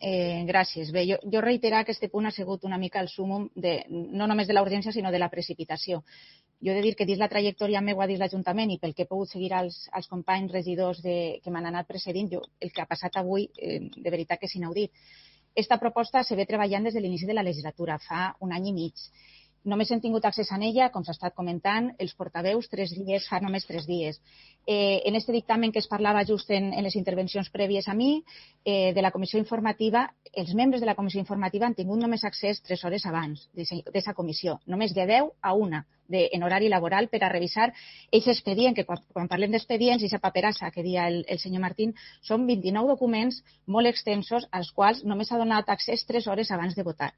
gràcies. Bé, jo reiterar que aquest punt ha sigut una mica el súmum no només de la urgència, sinó de la precipitació. Jo he de dir que dins la trajectòria meva dins l'Ajuntament i pel que he pogut seguir als companys regidors que m'han anat precedint, el que ha passat avui, de veritat que és inaudit. Esta proposta se ve treballant des de l'inici de la legislatura, fa un any i mig. Només hem tingut accés a ella, com s'ha estat comentant, els portaveus fa només 3 dies. En este dictamen que es parlava just en les intervencions prèvies a mi, de la comissió informativa, els membres de la comissió informativa han tingut només accés 3 hores abans d'aquesta comissió, només de 10 a 1 en horari laboral per a revisar aquest expedient, que quan parlem d'expedients, aquesta paperassa que deia el senyor Martín, són 29 documents molt extensos als quals només s'ha donat accés 3 hores abans de votar.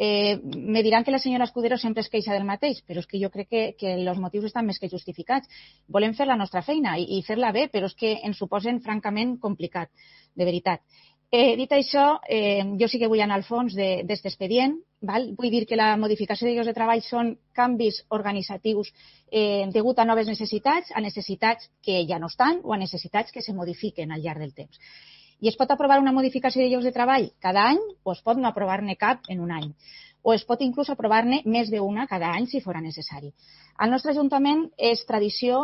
Me diran que la senyora Escudero sempre es queixa del mateix, però és que jo crec que els motius estan més que justificats. Volem fer la nostra feina i fer-la bé, però és que ens ho posen francament complicat, de veritat. Dit això, jo sí que vull anar al fons d'aquest expedient. Vull dir que la modificació de llocs de treball són canvis organitzatius degut a noves necessitats, a necessitats que ja no estan o a necessitats que se modifiquen al llarg del temps. I es pot aprovar una modificació de llocs de treball cada any o es pot no aprovar-ne cap en un any. O es pot inclús aprovar-ne més d'una cada any si fora necessari. Al nostre Ajuntament és tradició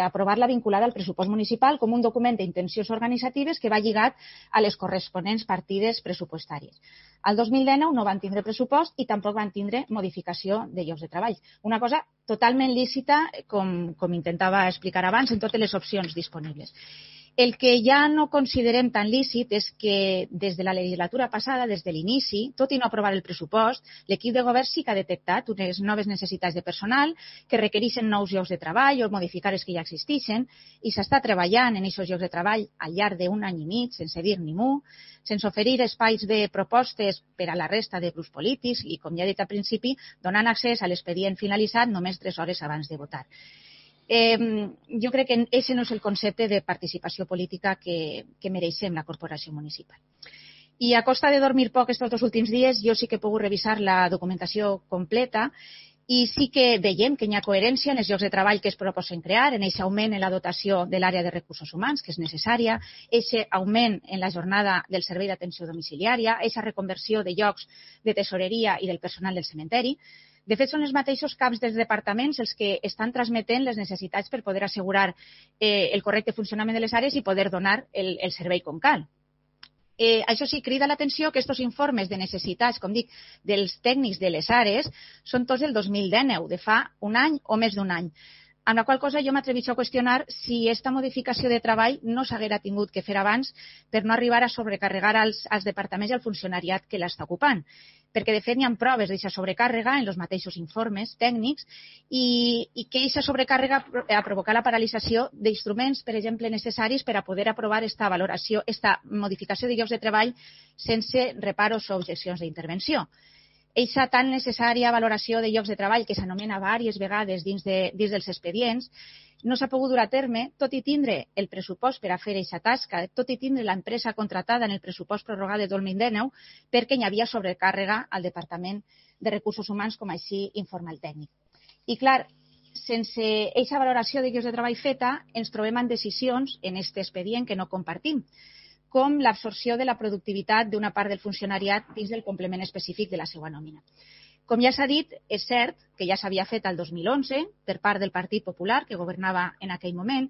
aprovar-la vinculada al pressupost municipal com un document d'intencions organitzatives que va lligat a les corresponents partides pressupostàries. Al 2019 no van tindre pressupost i tampoc van tindre modificació de llocs de treball. Una cosa totalment lícita, com intentava explicar abans, en totes les opcions disponibles. El que ja no considerem tan lícit és que des de la legislatura passada, des de l'inici, tot i no aprovar el pressupost, l'equip de govern sí que ha detectat unes noves necessitats de personal que requereixen nous llocs de treball o modificar els que ja existeixen i s'està treballant en aquests llocs de treball al llarg d'un any i mig, sense dir ni mu, sense oferir espais de propostes per a la resta de grups polítics i, com ja he dit al principi, donant accés a l'expedient finalitzat només 3 hores abans de votar. Jo crec que aquest no és el concepte de participació política que mereixem la corporació municipal. I a costa de dormir poc aquests 2 últims dies, jo sí que he pogut revisar la documentació completa i sí que veiem que hi ha coherència en els llocs de treball que es proposen crear, en aquest augment en la dotació de l'àrea de recursos humans, que és necessària, aquest augment en la jornada del servei d'atenció domiciliària, aquesta reconversió de llocs de tesoreria i del personal del cementeri. De fet, són els mateixos caps dels departaments els que estan transmetent les necessitats per poder assegurar el correcte funcionament de les àrees i poder donar el servei com cal. Això sí, crida l'atenció que aquests informes de necessitats, com dic, dels tècnics de les àrees, són tots del 2019, de fa un any o més d'un any. Amb la qual cosa jo m'atreveixo a qüestionar si aquesta modificació de treball no s'haguera tingut que fer abans per no arribar a sobrecarregar als departaments i al funcionariat que l'està ocupant. Perquè, de fet, hi ha proves d'aquesta sobrecàrrega en els mateixos informes tècnics i que aquesta sobrecàrrega ha provocat la paralització d'instruments, per exemple, necessaris per a poder aprovar aquesta valoració, aquesta modificació de llocs de treball sense reparos o objeccions d'intervenció. Eixa tan necessària valoració de llocs de treball que s'anomena diverses vegades dins dels expedients no s'ha pogut dur a terme, tot i tindre el pressupost per a fer aquesta tasca, tot i tindre l'empresa contratada en el pressupost prorrogat de 2019, perquè hi havia sobrecàrrega al Departament de Recursos Humans, com així informa el tècnic. I clar, sense aquesta valoració de llocs de treball feta, ens trobem en decisions en aquest expedient que no compartim, com l'absorció de la productivitat d'una part del funcionariat dins del complement específic de la seva nòmina. Com ja s'ha dit, és cert que ja s'havia fet el 2011 per part del Partit Popular, que governava en aquell moment,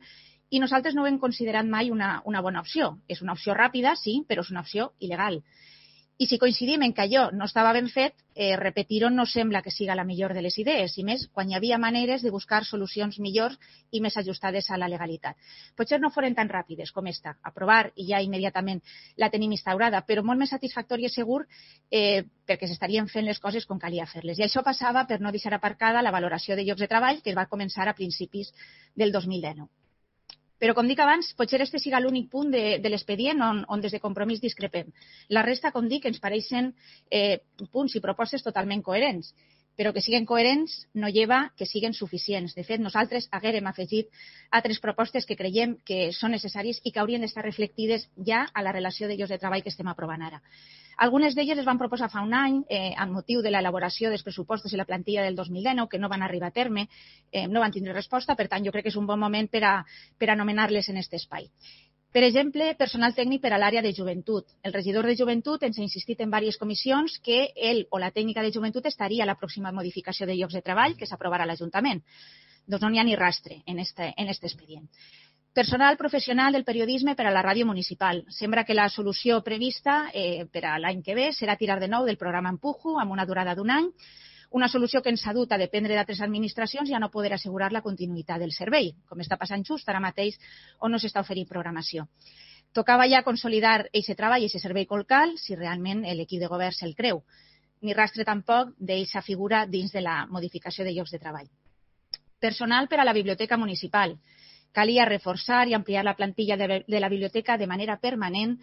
i nosaltres no ho hem considerat mai una bona opció. És una opció ràpida, sí, però és una opció il·legal. I si coincidim en que allò no estava ben fet, repetir-ho no sembla que siga la millor de les idees, i més quan hi havia maneres de buscar solucions millors i més ajustades a la legalitat. Potser no foren tan ràpides com esta, aprovar i ja immediatament la tenim instaurada, però molt més satisfactòria i segur perquè s'estarien fent les coses com calia fer-les. I això passava per no deixar aparcada la valoració de llocs de treball que es va començar a principis del 2019. Però, com dic abans, potser este siga l'únic punt de l'expedient on des de Compromís discrepem. La resta, com dic, ens pareixen punts i propostes totalment coherents, però que siguen coherents no lleva que siguen suficients. De fet, nosaltres haguérem afegit altres propostes que creiem que són necessàries i que haurien d'estar reflectides ja a la relació de llocs de treball que estem aprovant ara. Algunes d'elles es van proposar fa un any amb motiu de l'elaboració dels pressupostos i la plantilla del 2019, que no van arribar a terme, no van tindre resposta, per tant jo crec que és un bon moment per a anomenar-les en aquest espai. Per exemple, personal tècnic per a l'àrea de joventut. El regidor de joventut ens ha insistit en diverses comissions que ell o la tècnica de joventut estaria a la pròxima modificació de llocs de treball que s'aprovarà a l'Ajuntament. Doncs no n'hi ha ni rastre en este expedient. Personal professional del periodisme per a la ràdio municipal. Sembla que la solució prevista per a l'any que ve serà tirar de nou del programa Empujo amb una durada d'un any, una solució que ens ha dut a dependre d'altres administracions i a no poder assegurar la continuïtat del servei, com està passant just ara mateix on no s'està oferint programació. Tocava ja consolidar aquest treball i aquest servei colcal si realment l'equip de govern se'l creu. Ni rastre tampoc d'aquesta figura dins de la modificació de llocs de treball. Personal per a la biblioteca municipal. Calia reforçar i ampliar la plantilla de la biblioteca de manera permanent,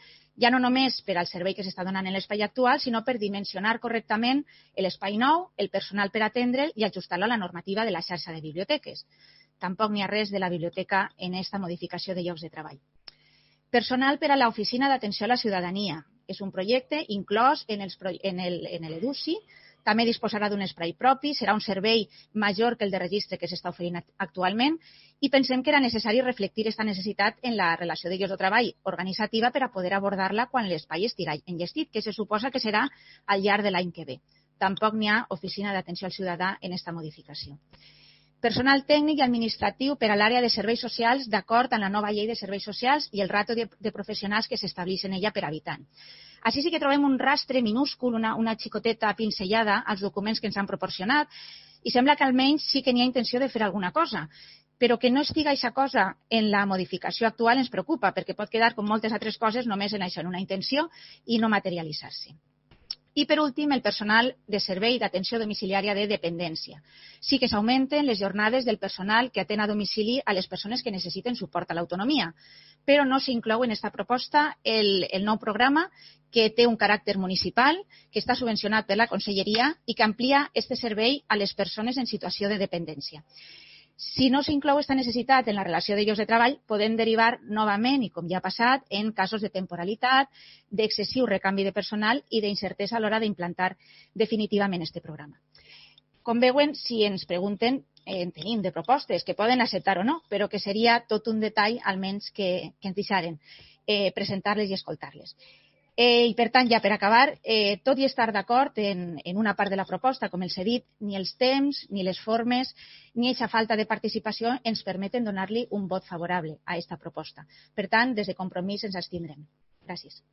ja no només per al servei que s'està donant en l'espai actual, sinó per dimensionar correctament l'espai nou, el personal per atendre'l i ajustar-lo a la normativa de la xarxa de biblioteques. Tampoc n'hi ha res de la biblioteca en aquesta modificació de llocs de treball. Personal per a l'Oficina d'Atenció a la Ciutadania. És un projecte inclòs en l'EDUCI. També disposarà d'un espai propi, serà un servei major que el de registre que s'està oferint actualment i pensem que era necessari reflectir aquesta necessitat en la relació de llocs de treball organitzativa per a poder abordar-la quan l'espai estigui enllestit, que se suposa que serà al llarg de l'any que ve. Tampoc n'hi ha oficina d'atenció al ciutadà en aquesta modificació. Personal tècnic i administratiu per a l'àrea de serveis socials d'acord amb la nova llei de serveis socials i el ràtio de professionals que s'estableix en ella per habitant. Així sí que trobem un rastre minúscul, una xicoteta pinzellada als documents que ens han proporcionat i sembla que almenys sí que n'hi ha intenció de fer alguna cosa, però que no estiga aquesta cosa en la modificació actual ens preocupa perquè pot quedar com moltes altres coses només en això, en una intenció i no materialitzar-se. I, per últim, el personal de servei d'atenció domiciliària de dependència. Sí que s'augmenten les jornades del personal que atén a domicili a les persones que necessiten suport a l'autonomia, però no s'inclou en aquesta proposta el nou programa que té un caràcter municipal, que està subvencionat per la Conselleria i que amplia aquest servei a les persones en situació de dependència. Si no s'inclou aquesta necessitat en la relació de llocs de treball, podem derivar novament, i com ja ha passat, en casos de temporalitat, d'excessiu recanvi de personal i d'incertesa a l'hora d'implantar definitivament aquest programa. Com veuen, si ens pregunten, en tenim de propostes que poden acceptar o no, però que seria tot un detall, almenys, que ens deixaren presentar-les i escoltar-les. I, per tant, ja per acabar, tot i estar d'acord en una part de la proposta, com els he dit, ni els temps, ni les formes, ni aquesta falta de participació ens permeten donar-li un vot favorable a aquesta proposta. Per tant, des de Compromís ens abstindrem. Gràcies.